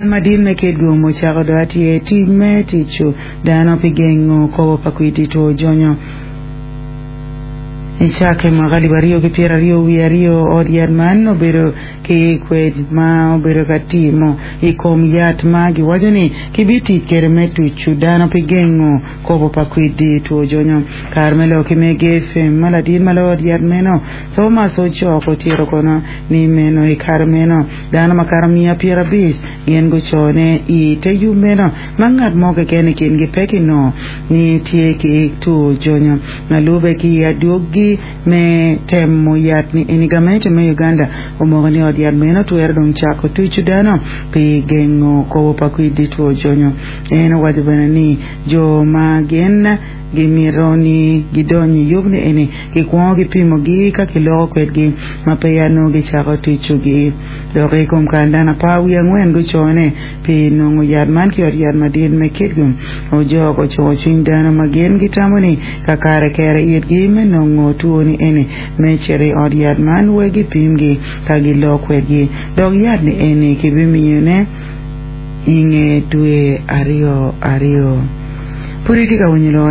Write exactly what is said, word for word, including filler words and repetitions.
Madit me Kitgum ocako do atye tic me tucu dano pi gengo kobo pa kwidi two jonyo. Icake mwaka alip aryo ki pyeraryo wiye aryo ot yat man obedo ki kwed ma obedo ka timo i kom yat ma giwaco ni kibitic kede me tucu dano pi gengo kobo pa kwidi two jonyo. Kare me lok ki Mega FM ma ladit ma ot yat meno Thomas Ojok otito kono ni meno i kare meno dano makato mia pyerabic gin gucone i te yub meno ma ngat mo keken i kingi pe kinongo ni tye ki two jonyo ma lube ki adwogi me temo yat ni eni gamente me Uganda omoko ni ot yat meno twero dong cako tucu dano pi gengo kobo pa kwidi two jonyo. En owaco bene ni jo ma gin gimito ni gidony i yub ni eni gikwongo gipimogi ka kiloko kwedgi ma peya nongo gicako tucugi dok i kom kare dano apar wiye angwen gucone pi nongo yat man ki ot yat madit me Kitgum Ojok ocuko cwiny dano ma gin gitamo ni kakare kere itgi me nongo two ni eni me cito i ot yat man wek gipimgi ka gilok kwedgi dok yat ni eni kibimiyone i nge dwe aryo aryo. Pud itye ka winyo lok